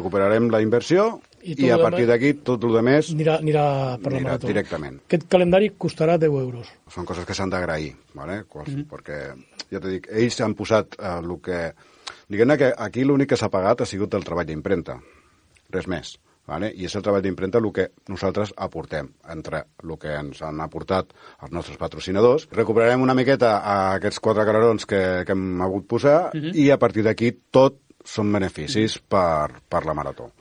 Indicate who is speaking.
Speaker 1: recuperarem la inversió i a partir d'aquí tot el més
Speaker 2: anirà per la marató.
Speaker 1: Directament.
Speaker 2: Aquest calendari costarà 10 euros.
Speaker 1: Són coses que s'han d'agrair, ¿vale? Perquè, ja t'he dit, ells han posat el que... Diguem-ne que aquí l'únic que s'ha pagat ha sigut el treball d'impremta, res més. ¿Vale? I és el treball d'impremta el que nosaltres aportem, entre el que ens han aportat els nostres patrocinadors. Recuperarem una miqueta aquests 4 calerons que hem hagut posar i a partir d'aquí tot són beneficis per la marató.